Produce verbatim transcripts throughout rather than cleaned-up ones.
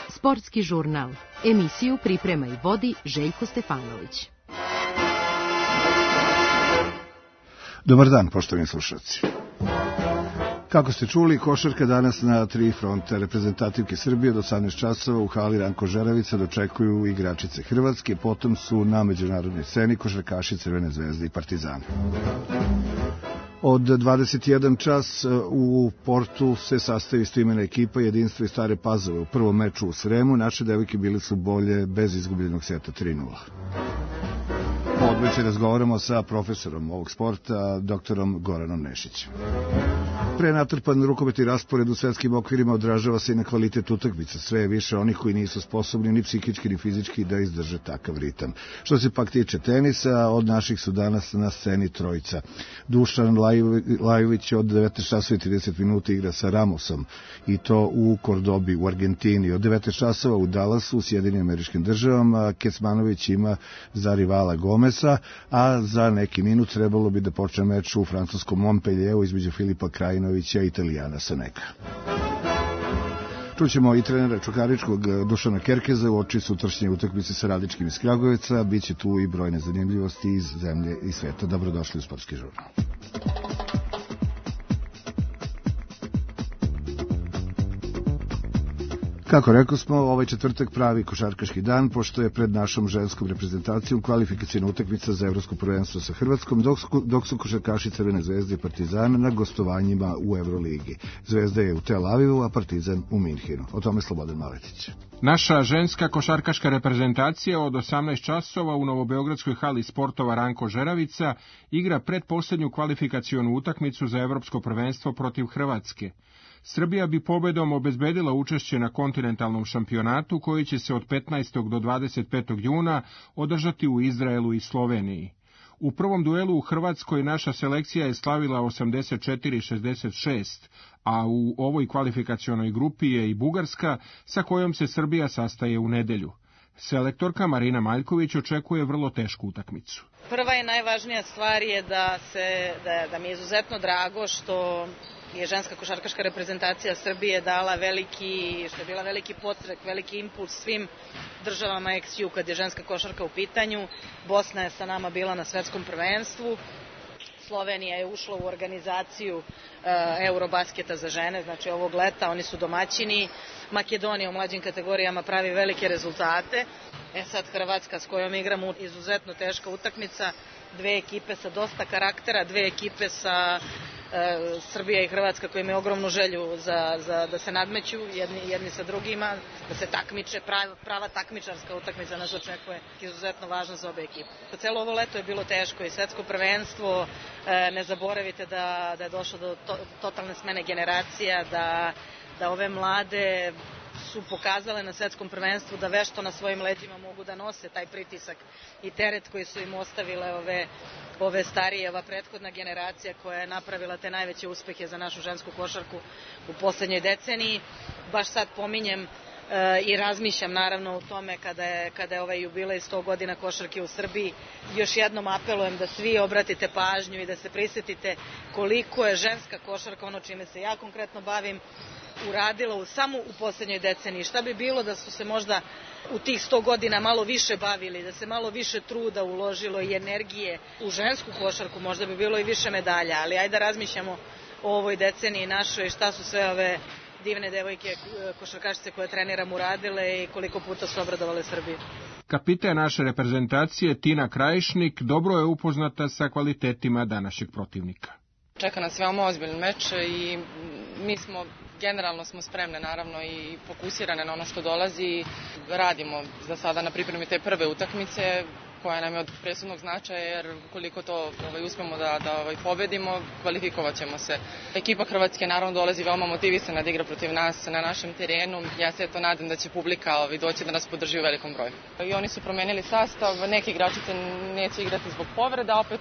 Sportski žurnal. Emisiju priprema i vodi Željko Stefanović. Dobar dan, poštovani slušalci. Kako ste čuli, košarka danas na tri fronta. Reprezentativke Srbije od osamnaest časova u hali Ranko Žeravica dočekuju igračice Hrvatske, potom su na međunarodnoj sceni košarkaši Crvene zvezde i Partizana. Od dvadeset jedan čas u Portu se sastavi istoimena ekipa Jedinstvo i Stare Pazove. U prvom meču u Sremu naše devojke bile su bolje bez izgubljenog seta tri nula. Odveć razgovaramo sa profesorom ovog sporta, doktorom Goranom Nešićem. Prenatrpan rukometni raspored u svetskim okvirima odražava se i na kvalitet utakmica. Sve je više onih koji nisu sposobni ni psihički ni fizički da izdrže takav ritam. Što se pak tiče tenisa, od naših su danas na sceni trojica. Dušan Lajović od devetnaest časova i trideset minuta igra sa Ramosom, i to u Kordobi u Argentini. Od devetnaest časova u Dallasu u Sjedinim Američkim Državama Kecmanović ima za rivala Gomesa, a za neki minut trebalo bi da počne meč u francuskom Montpellieru između Filipa Krajinovića i Italijana Saneka. Čućemo i trenera Čukaričkog Dušana Kerkeza u oči sutrašnje utakmice sa Radičkim iz Kragujevca. Biće tu i brojne zanimljivosti iz zemlje i sveta. Dobrodošli u Sportski žurnal. Kako rekao smo, ovaj četvrtak pravi košarkaški dan, pošto je pred našom ženskom reprezentacijom kvalifikacijna utakmica za evropsko prvenstvo sa Hrvatskom, dok su, dok su košarkaši Crvene zvezde i Partizana na gostovanjima u Evroligi. Zvezda je u Tel Avivu, a Partizan u Minhinu. O tome Slobodan Maletić. Naša ženska košarkaška reprezentacija od osamnaest časova u novobeogradskoj hali sportova Ranko Žeravica igra pretposlednju kvalifikacionu utakmicu za evropsko prvenstvo protiv Hrvatske. Srbija bi pobedom obezbedila učešće na kontinentalnom šampionatu koji će se od petnaestog do dvadeset petog juna održati u Izraelu i Sloveniji. U prvom duelu u Hrvatskoj naša selekcija je slavila osamdeset četiri šezdeset šest, a u ovoj kvalifikacionoj grupi je i Bugarska, sa kojom se Srbija sastaje u nedelju. Selektorka Marina Maljković očekuje vrlo tešku utakmicu. Prva i najvažnija stvar je da, se, da, da mi je izuzetno drago što je ženska košarkaška reprezentacija Srbije dala veliki, što je bila veliki podstrek, veliki impuls svim državama eks ju kad je ženska košarka u pitanju. Bosna je sa nama bila na svetskom prvenstvu. Slovenija je ušla u organizaciju uh, Eurobasketa za žene, znači ovog leta, oni su domaćini. Makedonija u mlađim kategorijama pravi velike rezultate. E sad Hrvatska s kojom igramo izuzetno teška utakmica, dve ekipe sa dosta karaktera, dve ekipe sa e, Srbija i Hrvatska koji imaju ogromnu želju za, za, da se nadmeću jedni, jedni sa drugima, da se takmiče, prava, prava takmičarska utakmica nas očekuje, izuzetno važna za obe ekipe. Celo ovo leto je bilo teško i svetsko prvenstvo, e, ne zaboravite da, da je došlo do to, totalne smene generacija, da, da ove mlade su pokazale na svetskom prvenstvu da vešto na svojim leđima mogu da nose taj pritisak i teret koji su im ostavile ove, ove starije, ova prethodna generacija koja je napravila te najveće uspehe za našu žensku košarku u poslednjoj deceniji. Baš sad pominjem e, i razmišljam naravno o tome kada je, kada je ovaj jubilej sto godina košarke u Srbiji. Još jednom apelujem da svi obratite pažnju i da se prisetite koliko je ženska košarka, ono čime se ja konkretno bavim, uradila u, samo u posljednjoj deceniji. Šta bi bilo da su se možda u tih sto godina malo više bavili, da se malo više truda uložilo i energije u žensku košarku, možda bi bilo i više medalja, ali ajde da razmišljamo o ovoj deceniji našoj, šta su sve ove divne devojke košarkašice koje treniramo uradile i koliko puta su obradovale Srbiju. Kapiten naše reprezentacije Tina Krajišnik dobro je upoznata sa kvalitetima današnjeg protivnika. Čeka nas veoma ozbiljan meč i mi smo generalno smo spremne naravno i fokusirane na ono što dolazi. Radimo za sada na pripremi te prve utakmice koja nam je od presudnog značaja, jer koliko to ovaj, uspemo da, da ovaj, pobedimo, kvalifikovat ćemo se. Ekipa Hrvatske naravno dolazi veoma motivisana da igra protiv nas na našem terenu. Ja se eto nadam da će publika ovaj, doći da nas podrži u velikom broju. I oni su promenili sastav, neki igračice neće igrati zbog povreda, opet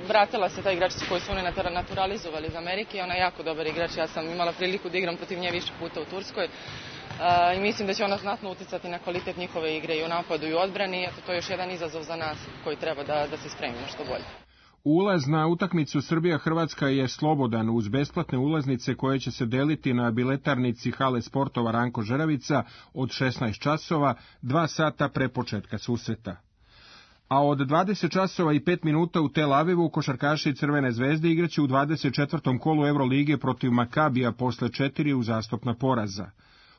vratila se ta igračica koju su oni naturalizovali iz Amerike. Ona je jako dobar igrač, ja sam imala priliku da igram protiv nje više puta u Turskoj. Uh, i mislim da će ona znatno uticati na kvalitet njihove igre i u napadu i u odbrani. Eto, to je još jedan izazov za nas koji treba da, da se spremimo što bolje. Ulaz na utakmicu Srbija-Hrvatska je slobodan uz besplatne ulaznice koje će se deliti na biletarnici hale sportova Ranko Žeravica od šesnaest časova, dva sata pre početka susreta. A od dvadeset časova i pet minuta u Tel Avivu košarkaši Crvene zvezde igraće u dvadeset četvrtom kolu Evrolige protiv Makabija posle četiri uzastopna poraza.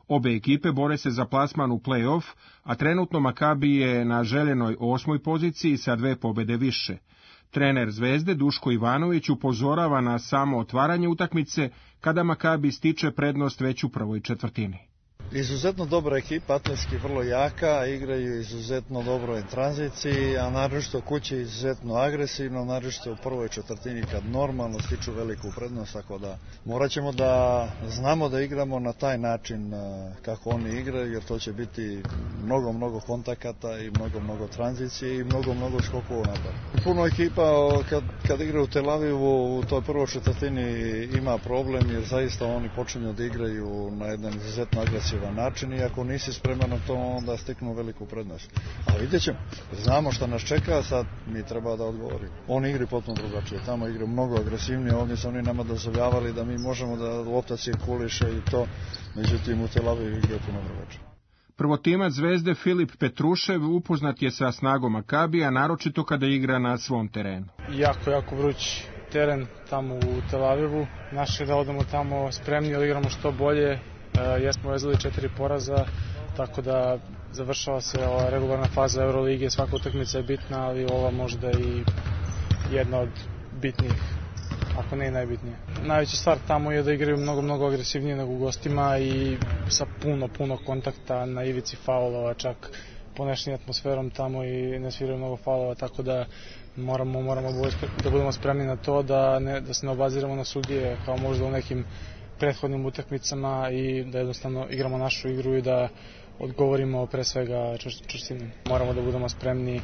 Obe ekipe bore se za plasman u play-off, a trenutno Makabi je na željenoj osmoj poziciji sa dve pobede više. Trener Zvezde Duško Ivanović upozorava na samo otvaranje utakmice kada Makabi stiče prednost već u prvoj četvrtini. Izuzetno dobra ekipa, atletski vrlo jaka, igraju izuzetno dobro u tranziciji, a naročito kući izuzetno agresivno, naročito u prvoj četvrtini kad normalno stiču veliku prednost, tako da morat ćemo da znamo da igramo na taj način kako oni igraju, jer to će biti mnogo, mnogo kontakata i mnogo, mnogo tranzicije i mnogo, mnogo skokova napad. Puno ekipa kad, kad igra u Tel Avivu u toj prvoj četvrtini ima problem, jer zaista oni počinju da igraju na jedan izuzetno agresivan način i ako nisi spreman na to, onda steknu veliku prednost. A vidjet ćemo, znamo šta nas čeka, sad mi treba da odgovorimo. Oni igri potpuno drugačije, tamo igre mnogo agresivnije, ovdje su oni nama dozvoljavali da mi možemo da lopta cirkuliše i to, međutim u Tel Avivu igre puno drugačije. Prvotimac Zvezde Filip Petrušev upoznat je sa snagom Makabija, naročito kada igra na svom terenu. Jako, jako vruć teren tamo u Tel Avivu. Naše da odemo tamo spremni, ali igramo što bolje. Uh, jesmo vezali četiri poraza, tako da završava se ova regularna faza Euroligije, svaka utakmica je bitna, ali ova možda i jedna od bitnijih, ako ne i najbitnija. Najveća stvar tamo je da igraju mnogo, mnogo agresivnije nego u gostima i sa puno, puno kontakta na ivici faulova, čak ponešnije atmosferom tamo i ne sviraju mnogo faulova, tako da moramo, moramo da budemo spremni na to, da, ne, da se ne obaziramo na sudije kao možda u nekim prethodnim utakmicama i da jednostavno igramo našu igru i da odgovorimo pre svega čvrstinom. Moramo da budemo spremni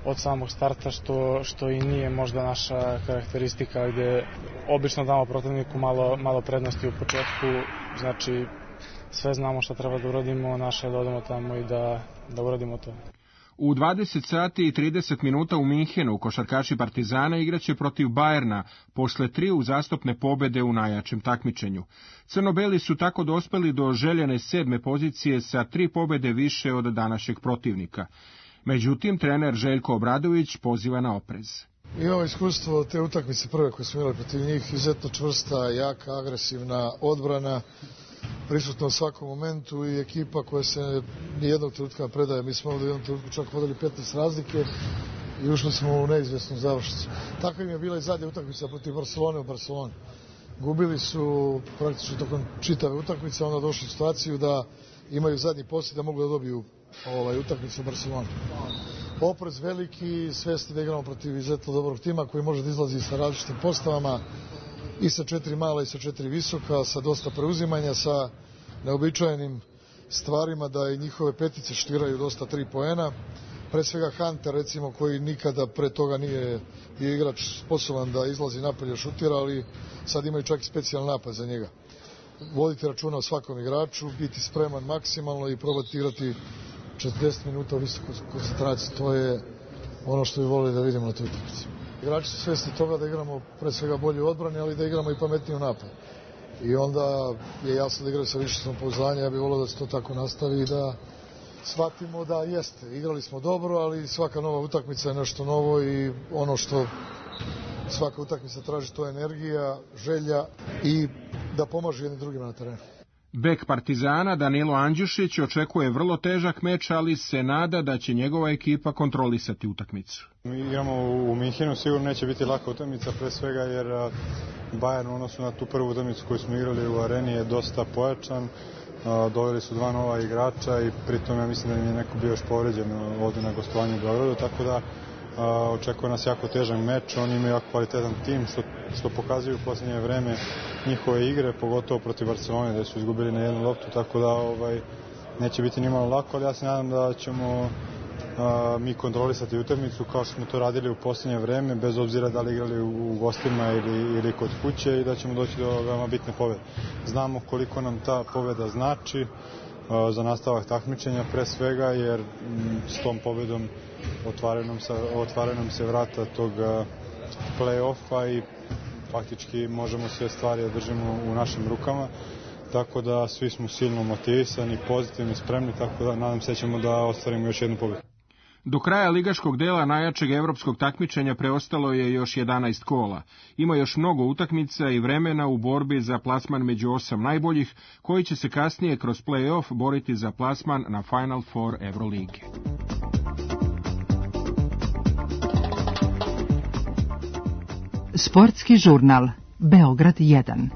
od samog starta, što, što i nije možda naša karakteristika, gde obično damo protivniku malo, malo prednosti u početku, znači sve znamo šta treba da uradimo, naše je da odemo tamo i da, da uradimo to. U dvadeset sati i trideset minuta u Minhenu košarkaši Partizana igraće protiv Bajerna posle tri uzastopne pobede u najjačem takmičenju. Crnobeli su tako dospeli do željene sedme pozicije sa tri pobede više od današnjeg protivnika. Međutim, trener Željko Obradović poziva na oprez. Imamo iskustvo te utakmice prve koje smo imali protiv njih, izuzetno čvrsta, jaka, agresivna odbrana, prisutna u svakom momentu i ekipa koja se nijednog trenutka ne predaje. Mi smo ovdje u jednom trenutku čak vodili petnaest razlike i ušli smo u neizvjesnu završnicu. Tako im je bila i zadnja utakmica protiv Barcelone u Barceloni. Gubili su praktično tokom čitave utakmice, onda došli u situaciju da imaju zadnji poslije da mogu da dobiju ovaj, utakmicu u Barceloni. Oprez veliki, svesni da igramo protiv izuzetno dobrog tima koji može da izlazi sa različitim postavama, i sa četiri mala i sa četiri visoka, sa dosta preuzimanja, sa neobičajenim stvarima da i njihove petice štiraju dosta tri poena. Pre svega Hunter, recimo, koji nikada pre toga nije bio igrač sposoban da izlazi napolje šutira, ali sad imaju čak i specijalni napad za njega. Voditi računa o svakom igraču, biti spreman maksimalno i probati igrati četrdeset minuta u visokoj koncentraciji. To je ono što bi volili da vidimo na toj utakmici. Igrači su svjesni toga da igramo pre svega bolje u odbrani, ali da igramo i pametnije u napadu. I onda je jasno da igraju sa više samopouzdanja, ja bih volio da se to tako nastavi i da shvatimo da jeste. Igrali smo dobro, ali svaka nova utakmica je nešto novo i ono što svaka utakmica traži, to je energija, želja i da pomaže jednim drugima na terenu. Bek Partizana Danilo Andjušić očekuje vrlo težak meč, ali se nada da će njegova ekipa kontrolisati utakmicu. Mi igramo u Minhenu, sigurno neće biti laka utakmica, pre svega jer Bayern u odnosu na tu prvu utakmicu koju smo igrali u areni je dosta pojačan. Doveli su dva nova igrača i pritom ja mislim da im je neko bio još povređen ovdje na gostovanju u Beogradu, tako da Uh, očekuje nas jako težan meč, oni imaju jako kvalitetan tim, što, što pokazuju u posljednje vreme njihove igre, pogotovo protiv Barcelone, da su izgubili na jednu loptu, tako da ovaj, neće biti nimalo lako, ali ja se nadam da ćemo uh, mi kontrolisati utakmicu kao što smo to radili u posljednje vreme, bez obzira da li igrali u, u gostima ili, ili kod kuće i da ćemo doći do veoma bitne pobjede. Znamo koliko nam ta pobjeda znači uh, za nastavak takmičenja, pre svega, jer m, s tom pobjedom otvaraju nam se, otvaraju nam se vrata tog play-offa i faktički možemo sve stvari da držimo u našim rukama. Tako da svi smo silno motivisani, pozitivni, spremni, tako da nadam se ćemo da ostvarimo još jednu pobjedu. Do kraja ligaškog dela najjačeg evropskog takmičenja preostalo je još jedanaest kola. Ima još mnogo utakmica i vremena u borbi za plasman među osam najboljih, koji će se kasnije kroz play-off boriti za plasman na Final Four Evrolige. Sportski žurnal Beograd jedan.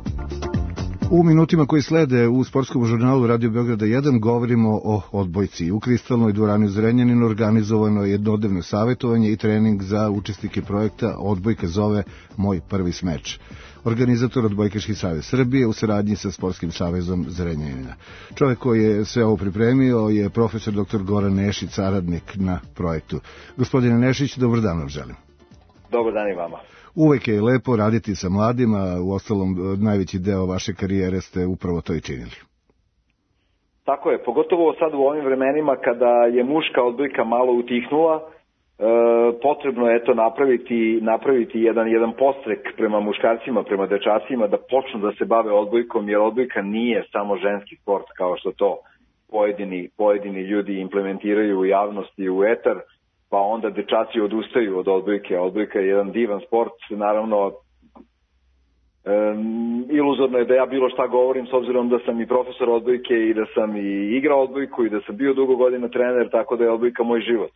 U minutima koji slede u sportskom žurnalu Radio Beograda jedan govorimo o odbojci. U Kristalnoj dvorani u Zrenjaninu organizovano je jednodnevno savjetovanje i trening za učesnike projekta Odbojka zove Moj prvi smeč. Organizator Odbojkaški savez Srbije u saradnji sa Sportskim savezom Zrenjanina. Čovjek koji je sve ovo pripremio je profesor doktor Goran Nešić, saradnik na projektu. Gospodine Nešić, dobar dan vam želim. Dobar dan i vama. Uvek je lepo raditi sa mladima, u ostalom najveći deo vaše karijere ste upravo to i činili. Tako je, pogotovo sad u ovim vremenima kada je muška odbojka malo utihnula, e, potrebno je eto napraviti, napraviti jedan, jedan podstrek prema muškarcima, prema dečacima da počnu da se bave odbojkom, jer odbojka nije samo ženski sport kao što to pojedini, pojedini ljudi implementiraju u javnosti, u etar, pa onda dečaci odustaju od odbojke. Odbojka je jedan divan sport, naravno um, iluzorno je da ja bilo šta govorim s obzirom da sam i profesor odbojke i da sam i igrao odbojku i da sam bio dugo godina trener, tako da je odbojka moj život.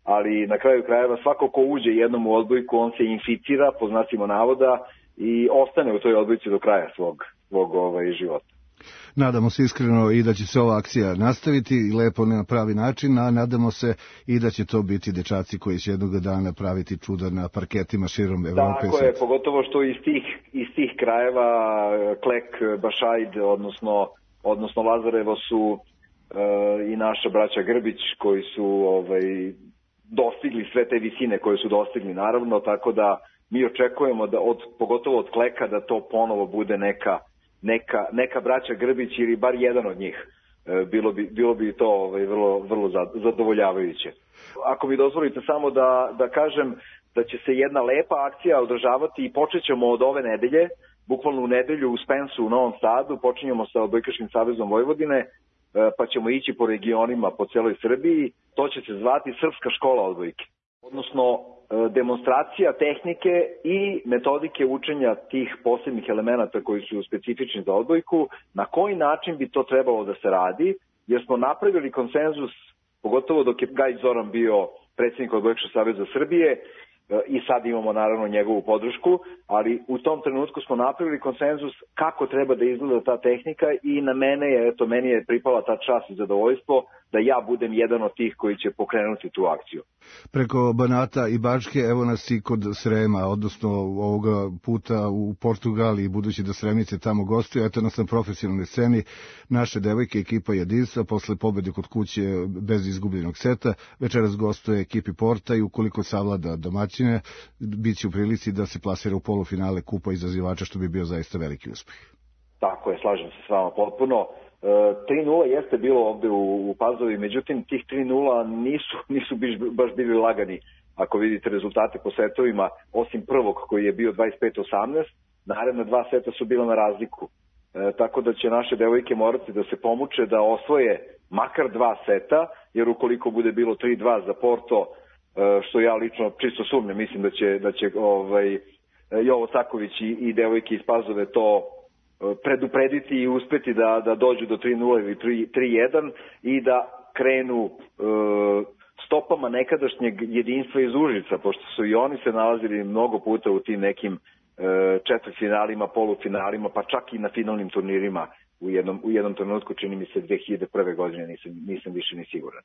Ali na kraju krajeva svako ko uđe jednom u odbojku, on se inficira, po znacima navoda, i ostane u toj odbojci do kraja svog, svog ovaj, života. Nadamo se iskreno i da će se ova akcija nastaviti lepo na pravi način, a nadamo se i da će to biti dečaci koji će jednog dana praviti čuda na parketima širom Evrope. Tako je, pogotovo što iz tih, iz tih krajeva Klek, Bašajd, odnosno, odnosno Lazarevo su e, i naša braća Grbić koji su ovaj, dostigli sve te visine koje su dostigli, naravno, tako da mi očekujemo da od, pogotovo od Kleka da to ponovo bude neka Neka, neka braća Grbić ili bar jedan od njih. E, bilo, bi, bilo bi to ovaj, vrlo, vrlo zadovoljavajuće. Ako mi dozvolite samo da, da kažem da će se jedna lepa akcija održavati i počet ćemo od ove nedelje, bukvalno u nedelju u Spensu u Novom Sadu, počinjemo sa Odbojkaškim savezom Vojvodine, e, pa ćemo ići po regionima po celoj Srbiji. To će se zvati Srpska škola odbojke, odnosno demonstracija tehnike i metodike učenja tih posebnih elemenata koji su specifični za odbojku, na koji način bi to trebalo da se radi, jer smo napravili konsenzus, pogotovo dok je Gaj Zoran bio predsjednik Odbojkaškog saveza Srbije, i sad imamo naravno njegovu podršku, ali u tom trenutku smo napravili konsenzus kako treba da izgleda ta tehnika i na mene je, eto, meni je pripala ta čast i zadovoljstvo da ja budem jedan od tih koji će pokrenuti tu akciju. Preko Banata i Bačke, evo nas i kod Srema, odnosno ovoga puta u Portugaliji, budući da Sremice tamo gostuju, eto nas na profesionalnoj sceni, naše devojke, ekipa Jedinstva, posle pobede kod kuće bez izgubljenog seta, večeras gostuje ekipi Porta i ukoliko savlada domaćine, bit će u prilici da se plasira u polufinale kupa izazivača, što bi bio zaista veliki uspeh. Tako je, slažem se s vama potpuno. tri nula jeste bilo ovde u, u Pazovi, međutim tih tri nula nisu, nisu biš, baš bili lagani. Ako vidite rezultate po setovima, osim prvog koji je bio dvadeset pet osamnaest, naredna dva seta su bila na razliku. E, tako da će naše devojke morati da se pomuče da osvoje makar dva seta, jer ukoliko bude bilo tri dva za Porto, e, što ja lično čisto sumnjam, mislim da će, da će ovaj, Jovo Caković i, i devojke iz Pazove to preduprediti i uspeti da, da dođu do tri nula ili tri jedan i da krenu e, stopama nekadašnjeg Jedinstva iz Užica, pošto su i oni se nalazili mnogo puta u tim nekim e, četvrtfinalima, polufinalima, pa čak i na finalnim turnirima u jednom, u jednom trenutku, čini mi se dve hiljade prve godine, nisam, nisam više ni siguran.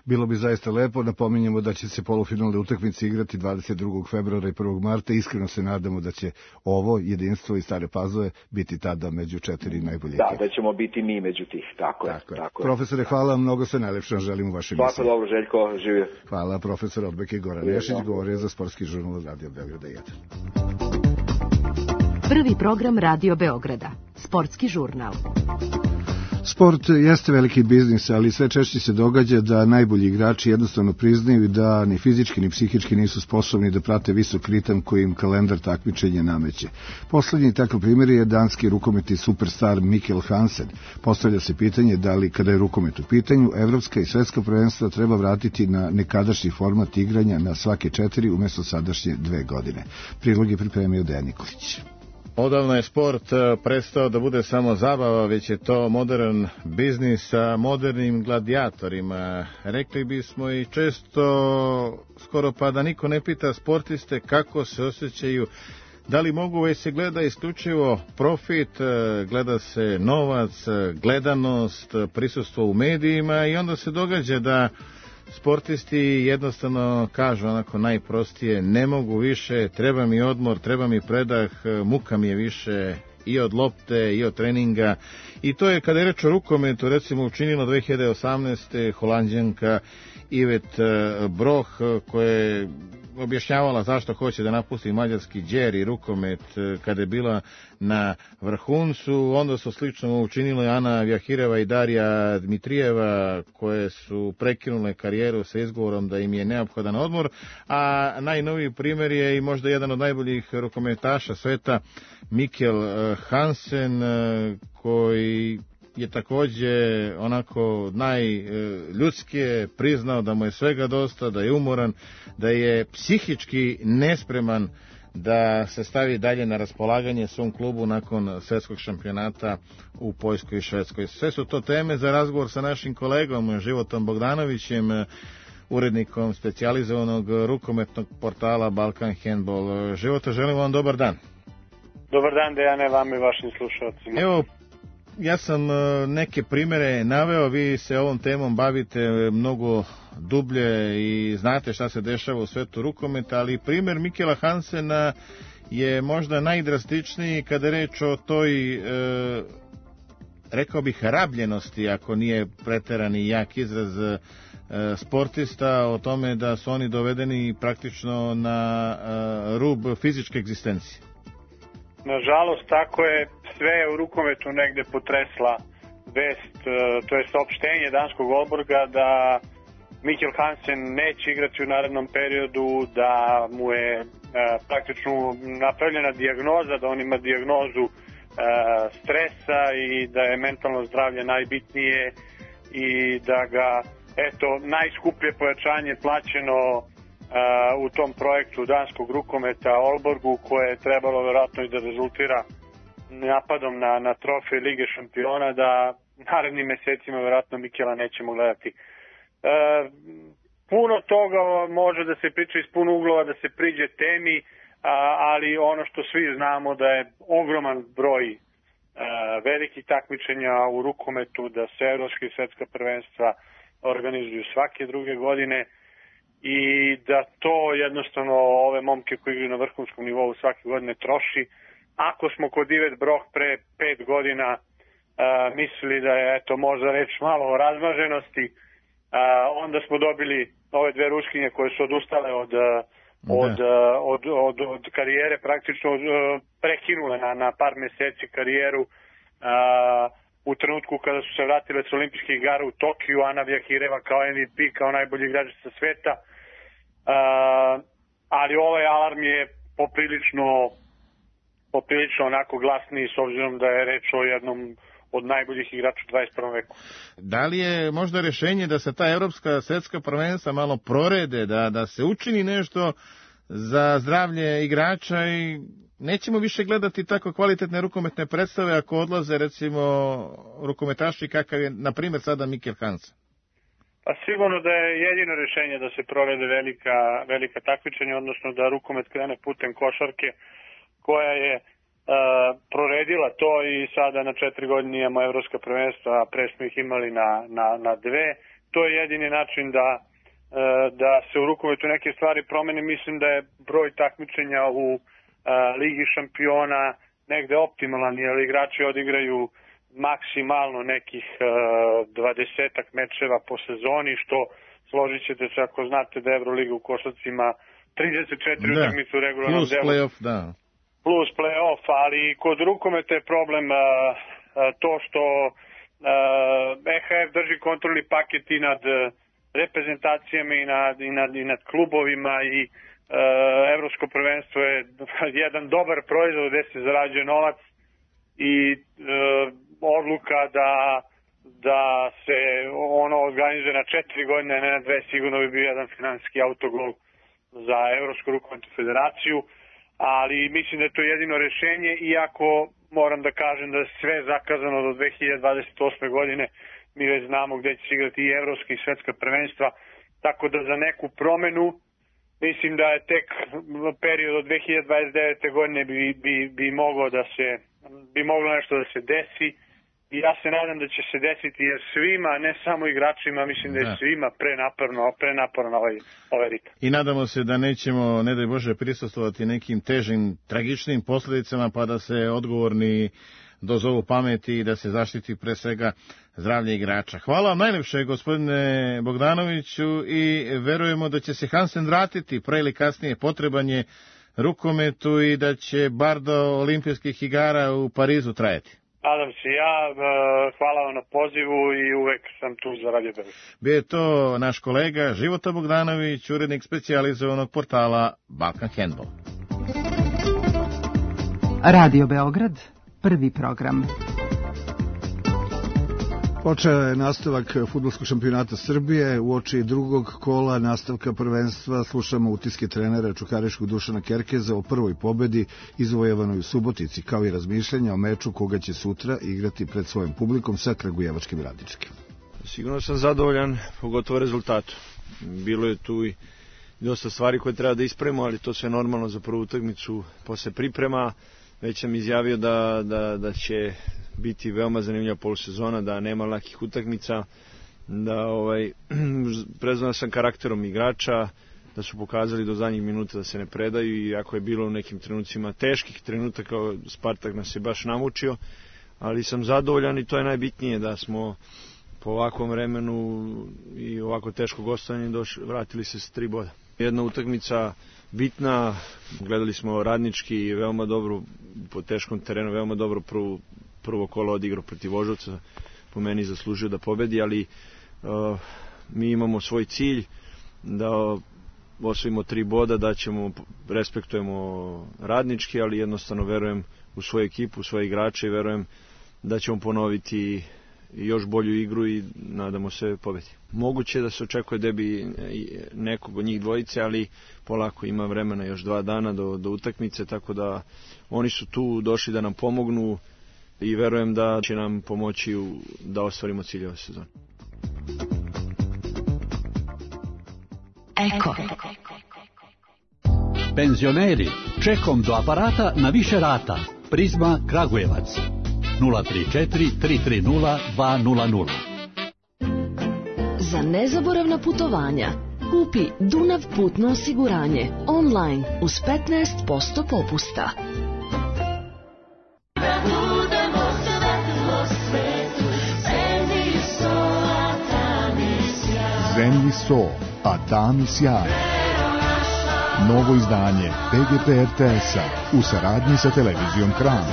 Bilo bi zaista lepo, napominjemo da će se polufinalne utakmice igrati dvadeset drugog februara i prvog marta, iskreno se nadamo da će ovo Jedinstvo i Stare Pazove biti tada među četiri najbolje. Da, da ćemo biti mi među tih, tako, tako je. Tako Profesore, hvala vam, mnogo se najlepše želim u vašoj emisiji. Svako dobro, Željko, živio. Hvala, profesor odbojke Goran Nešić, govorio za Sportski žurnal Radio Beograda jedan. Prvi program Radio Beograda, Sportski žurnal. Sport jeste veliki biznis, ali sve češće se događa da najbolji igrači jednostavno priznaju da ni fizički ni psihički nisu sposobni da prate visok ritam koji im kalendar takmičenja nameće. Poslednji takav primjer je danski rukometni superstar Mikkel Hansen. Postavlja se pitanje da li, kada je rukomet u pitanju, evropska i svetska prvenstva treba vratiti na nekadašnji format igranja na svake četiri umjesto sadašnje dve godine. Prilog je pripremio Dejan Nikolić. Odavno je sport prestao da bude samo zabava, već je to modern biznis sa modernim gladijatorima. Rekli bismo i često, skoro pa da niko ne pita sportiste kako se osjećaju, da li mogu, već se gleda isključivo profit, gleda se novac, gledanost, prisustvo u medijima i onda se događa da sportisti jednostavno kažu onako najprostije, ne mogu više, treba mi odmor, treba mi predah, muka mi je više i od lopte i od treninga. I to je, kada je reč o rukometu, recimo učinila dve hiljade osamnaeste. Holanđanka Ivet Broh, koja je objašnjavala zašto hoće da napusti mađarski đer i rukomet kada je bila na vrhuncu. Onda su slično učinile Ana Vjahireva i Darija Dmitrijeva, koje su prekinule karijeru sa izgovorom da im je neophodan odmor, a najnoviji primjer je i možda jedan od najboljih rukometaša sveta, Mikkel Hansen, koji je također onako najljudskije priznao da mu je svega dosta, da je umoran, da je psihički nespreman da se stavi dalje na raspolaganje svom klubu nakon svjetskog šampionata u Poljskoj i Švedskoj. Sve su to teme za razgovor sa našim kolegom Životom Bogdanovićem, urednikom specijalizovanog rukometnog portala Balkan Handball. Života, želim vam dobar dan. Dobar dan, Dejane, vama i vašim slušalcima. Evo, ja sam neke primjere naveo, vi se ovom temom bavite mnogo dublje i znate šta se dešava u svetu rukometa, ali primjer Mikkela Hansena je možda najdrastičniji kada je reč o toj, e, rekao bih, rabljenosti, ako nije preterani jak izraz, e, sportista, o tome da su oni dovedeni praktično na e, rub fizičke egzistencije. Nažalost, tako je. Sve je u rukometu negde potresla vest, to je saopštenje danskog Aalborga da Mikkel Hansen neće igrati u narednom periodu, da mu je e, praktično napravljena dijagnoza, da on ima dijagnozu e, stresa i da je mentalno zdravlje najbitnije i da ga, eto, najskuplje pojačanje plaćeno e, u tom projektu danskog rukometa Aalborgu, koje je trebalo verovatno i da rezultira napadom na, na trofej Lige šampiona, da narednim mesecima verovatno Mikkela nećemo gledati. E, puno toga može da se priča iz puno uglova, da se priđe temi, a, ali ono što svi znamo da je ogroman broj a, velikih takmičenja u rukometu, da se evropska i svetska prvenstva organizuju svake druge godine i da to jednostavno ove momke koji igraju na vrhunskom nivou svake godine troši. Ako smo kod Ivet Broh pre pet godina uh, mislili da je eto možda reč malo o razmaženosti, uh, onda smo dobili ove dve Ruskinje koje su odustale od, od, od, od, od karijere, praktično uh, prekinule na, na par meseci karijeru uh, u trenutku kada su se vratile s olimpijskih igara u Tokiju, Ana Vjahireva kao M V P, kao najbolji igračica sveta, uh, ali ovaj alarm je poprilično poprilično onako glasniji, s obzirom da je reč o jednom od najboljih igrača u dvadeset prvom veku. Da li je možda rješenje da se ta evropska svetska prvenstva malo prorede, da, da se učini nešto za zdravlje igrača i nećemo više gledati tako kvalitetne rukometne predstave ako odlaze recimo rukometaši kakav je na primjer sada Mikkel Hansen? Pa sigurno da je jedino rješenje da se prorede velika, velika takmičenja, odnosno da rukomet krene putem košarke, koja je uh, proredila to i sada na četiri godine imamo evropska prvenstva, a pre smo ih imali na, na, na dve. To je jedini način da, uh, da se u rukometu neke stvari promene. Mislim da je broj takmičenja u uh, Ligi šampiona negde optimalan, jer igrači odigraju maksimalno nekih uh, dvadesetak mečeva po sezoni, što složit ćete se ako znate da Euroliga u košarci ima trideset četiri utakmice u regularnom delu. Plus play-off, da. Plus play-off, ali kod rukometa je problem uh, to što E H F drži kontrolni paket i nad reprezentacijama i nad, i nad, i nad klubovima i e, evropsko prvenstvo je jedan dobar proizvod gde se zarađuje novac i e, odluka da da se ono organizuje na četiri godine, ne na dve, sigurno bi bio jedan finansijski autogol za Evropsku rukometnu federaciju, ali mislim da je to jedino rešenje, iako moram da kažem da je sve zakazano do dve hiljade dvadeset osme godine, mi već znamo gde će se igrati i evropska i svetska prvenstva, tako da za neku promenu mislim da je tek period od dve hiljade dvadeset devete godine bi, bi, bi moglo da se bi moglo nešto da se desi. I ja se nadam da će se desiti, jer svima, ne samo igračima, mislim da je svima prenaporno, prenaporno ovaj, ovaj ritam. I nadamo se da nećemo, ne daj Bože, prisustvovati nekim težim, tragičnim posljedicama, pa da se odgovorni dozovu pameti i da se zaštiti pre svega zdravlje igrača. Hvala vam najlepše, gospodine Bogdanoviću, i verujemo da će se Hansen vratiti pre ili kasnije, potreban je rukometu i da će bar do olimpijskih igara u Parizu trajati. Nadam se ja, hvala vam na pozivu i uvek sam tu za Radio Beograd. Bio je to naš kolega Života Bogdanović, urednik specijalizovanog portala Balkan Handball. Radio Beograd, prvi program. Počeo je nastavak fudbalskog šampionata Srbije. Uoči drugog kola nastavka prvenstva slušamo utiske trenera čukariškog Dušana Kerkeza o prvoj pobedi izvojevanoj u Subotici, kao i razmišljanja o meču koga će sutra igrati pred svojim publikom sa Kragujevačkim Radničkim. Sigurno sam zadovoljan, pogotovo rezultatu. Bilo je tu i dosta stvari koje treba da ispravimo, ali to sve normalno za prvu utakmicu posle priprema. Već sam izjavio da, da, da će biti veoma zanimljiva polusezona, da nema lakih utakmica, da ovaj, prezvan sam karakterom igrača, da su pokazali do zadnjih minuta da se ne predaju, i ako je bilo u nekim trenucima teških trenutaka, Spartak nas je baš namučio, ali sam zadovoljan i to je najbitnije, da smo po ovakvom vremenu i ovako teško gostovanje došli, vratili se s tri boda. Jedna utakmica bitna, gledali smo Radnički veoma dobro po teškom terenu, veoma dobro prvo, prvo kolo odigrao protiv Voždovca, po meni zaslužio da pobedi, ali uh, mi imamo svoj cilj da osvojimo tri boda, da ćemo, respektujemo Radnički, ali jednostavno verujem u svoju ekipu, u svoje igrače i verujem da ćemo ponoviti još bolju igru i nadamo se pobedi. Moguće da se očekuje debi nekog od njih dvojice, ali polako, ima vremena, još dva dana do, do utakmice, tako da oni su tu došli da nam pomognu i verujem da će nam pomoći u, da ostvarimo cilje ove sezone. Eko. Penzioneri, čekom do aparata na više rata. Prizma Kragujevac. nula tri četiri tri tri nula dva nula nula. Za nezaboravna putovanja kupi Dunav putno osiguranje online uz petnaest posto popusta. Zemlji so, a tami sjaj. Novo izdanje P G P R T S-a u saradnji sa televizijom Kran.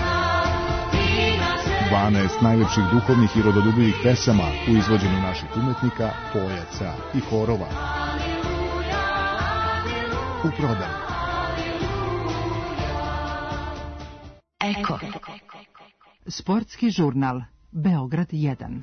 dvanaest najlepših duhovnih i rodoljubivih pesama u izvođenju naših umetnika, pojaca i horova. U prodaju. Eko. Sportski žurnal Beograd jedan.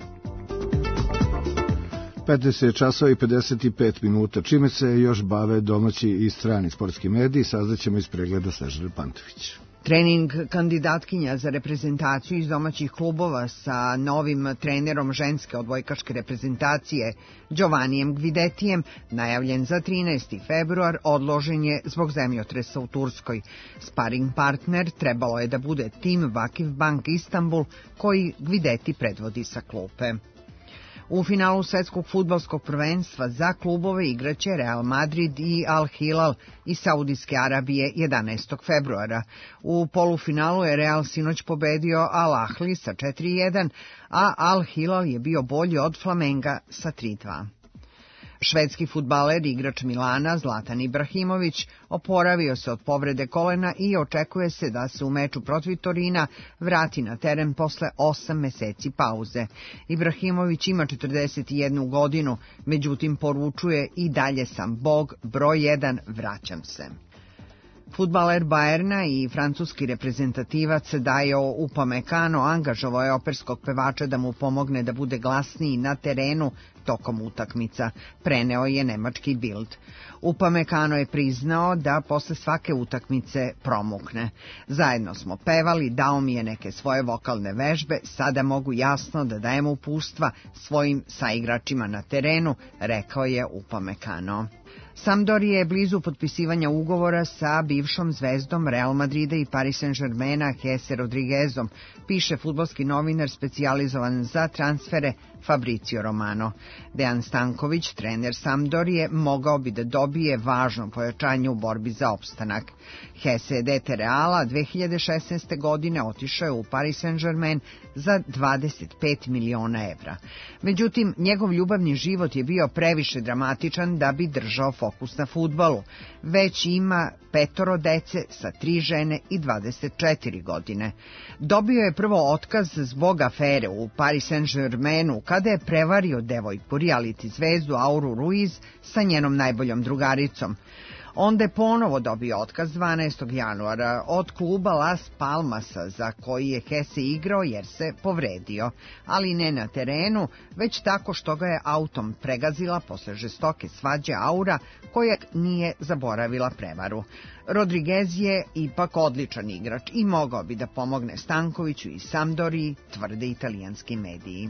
petnaest časova i pedeset pet minuta. Čime se još bave domaći i strani sportski mediji, saznaćemo iz pregleda Snežane Pantović. Trening kandidatkinja za reprezentaciju iz domaćih klubova sa novim trenerom ženske odbojkaške reprezentacije Giovannijem Gvidetijem, najavljen za trinaesti februar, odložen je zbog zemljotresa u Turskoj. Sparing partner trebalo je da bude tim Vakif Bank Istanbul, koji Gvideti predvodi sa klupe. U finalu svetskog fudbalskog prvenstva za klubove igraće Real Madrid i Al Hilal iz Saudijske Arabije jedanaestog februara. U polufinalu je Real sinoć pobedio Al Ahli sa četiri jedan, a Al Hilal je bio bolji od Flamenga sa tri dva. Švedski fudbaler, igrač Milana, Zlatan Ibrahimović, oporavio se od povrede kolena i očekuje se da se u meču protiv Torina vrati na teren posle osam meseci pauze. Ibrahimović ima četrdeset jednu godinu, međutim poručuje i dalje sam Bog, broj jedan, vraćam se. Fudbaler Bajerna i francuski reprezentativac Dajo Upamecano angažovao je operskog pevača da mu pomogne da bude glasniji na terenu tokom utakmica, preneo je nemački Bild. Upamecano je priznao da posle svake utakmice promukne. Zajedno smo pevali, dao mi je neke svoje vokalne vežbe, sada mogu jasno da dajem upustva svojim saigračima na terenu, rekao je Upamecano. Sampdoria je blizu potpisivanja ugovora sa bivšom zvezdom Real Madrida i Paris Saint-Germaina Jesse Rodriguezom, piše fudbalski novinar specijalizovan za transfere Fabrizio Romano. Dejan Stanković, trener Sampdorije, mogao bi da dobije važno pojačanje u borbi za opstanak. Jesse je dete Reala dve hiljade šesnaeste. godine otišao je u Paris Saint-Germain za dvadeset pet miliona evra. Međutim, njegov ljubavni život je bio previše dramatičan da bi držao fokus na fudbalu. Već ima petoro dece sa tri žene i dvadeset četiri godine. Dobio je prvo otkaz zbog afere u Paris Saint-Germainu kada je prevario devojku reality zvezdu Auru Ruiz sa njenom najboljom drugaricom. Onda je ponovo dobio otkaz dvanaestog januara od kluba Las Palmasa za koji je Jesse igrao jer se povredio, ali ne na terenu, već tako što ga je autom pregazila posle žestoke svađe Aura koja nije zaboravila prevaru. Rodriguez je ipak odličan igrač i mogao bi da pomogne Stankoviću i Sampdoriji, tvrde italijanski mediji.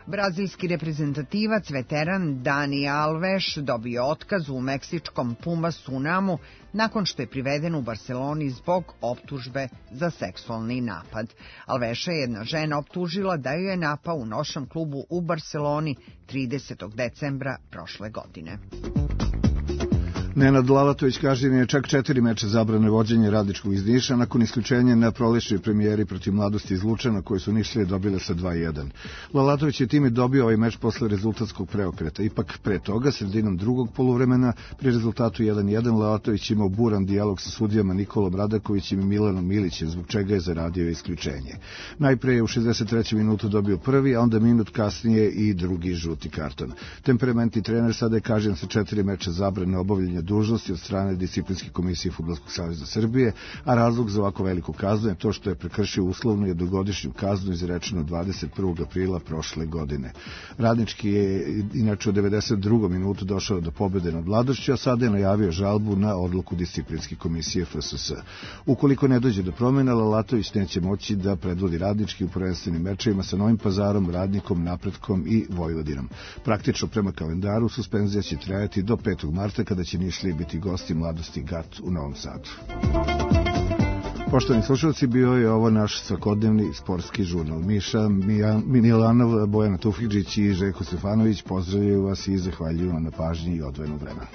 Brazilski reprezentativac, veteran Dani Alves, dobio otkaz u meksičkom Pumas Unamu nakon što je priveden u Barceloni zbog optužbe za seksualni napad. Alveša je jedna žena optužila da ju je napao u noćnom klubu u Barceloni tridesetog decembra prošle godine. Nenad Lalatović kažnjen je čak četiri meča zabrane vođenje Radničkog iz Niša nakon isključenja na prolećnoj premijeri protiv Mladosti iz Lučana koji su Nišlije dobile sa dva jedan. Lalatović je time dobio ovaj meč posle rezultatskog preokreta. Ipak pre toga, sredinom drugog poluvremena, pri rezultatu jedan jedan, Lalatović imao buran dijalog sa sudijama Nikolom Radakovićem i Milanom Milićem, zbog čega je zaradio isključenje. Najpre je u šezdeset trećoj minutu dobio prvi, a onda minut kasnije i drugi žuti karton. Temperamentni trener sada je kažnjen sa četiri meča zabrane obavljanja dužnosti od strane Disciplinske komisije Fudbalskog saveza Srbije, a razlog za ovako veliko kaznu je to što je prekršio uslovnu jednogodišnju kaznu izrečenu dvadeset prvog aprila prošle godine. Radnički je inače u devedeset drugom minutu došao do pobede nad Mladošću, a sada je najavio žalbu na odluku Disciplinske komisije F S S. Ukoliko ne dođe do promjena, Lalatović neće moći da predvodi Radnički u prvenstvenim mečevima sa Novim Pazarom, Radnikom, Napretkom i Vojvodinom. Praktično prema kalendaru suspenzija će trajati do petog marta kada će Nišlije biti gosti Mladosti Gat u Novom Sadu. Poštovani slušalci, bio je ovo naš svakodnevni sportski žurnal. Miša Milanov, Bojana Tufidžić i Željko Stefanović pozdravljaju vas i zahvaljuju vam na pažnji i odvojenog vremena.